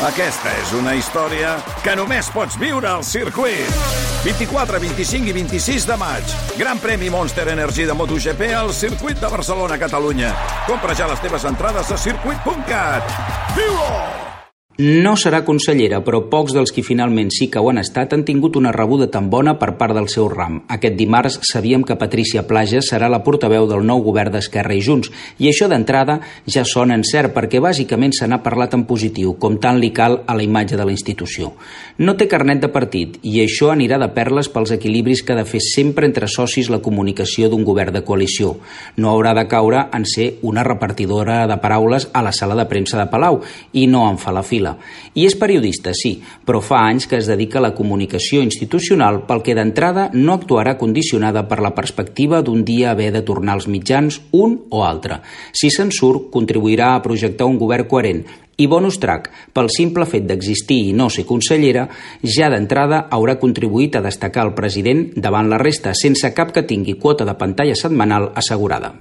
Aquesta és una història que només pots viure al circuit. 24, 25 i 26 de maig. Gran premi Monster Energy de MotoGP al circuit de Barcelona, Catalunya. Compra ja les teves entrades a circuit.cat. Viu-ho! No serà consellera, però pocs dels qui finalment sí que ho han estat han tingut una rebuda tan bona per part del seu ram. Aquest dimarts sabíem que Patrícia Plaja serà la portaveu del nou govern d'Esquerra i Junts, i això d'entrada ja sona en cert, perquè bàsicament se n'ha parlat en positiu, com tant li cal a la imatge de la institució. No té carnet de partit, i això anirà de perles pels equilibris que ha de fer sempre entre socis la comunicació d'un govern de coalició. No haurà de caure en ser una repartidora de paraules a la sala de premsa de Palau, i no en fa la fila. I és periodista, sí, però fa anys que es dedica a la comunicació institucional, pel que d'entrada no actuarà condicionada per la perspectiva d'un dia haver de tornar als mitjans un o altre. Si se'n surt, contribuirà a projectar un govern coherent. I bonus track, pel simple fet d'existir i no ser consellera, ja d'entrada haurà contribuït a destacar el president davant la resta, sense cap que tingui quota de pantalla setmanal assegurada.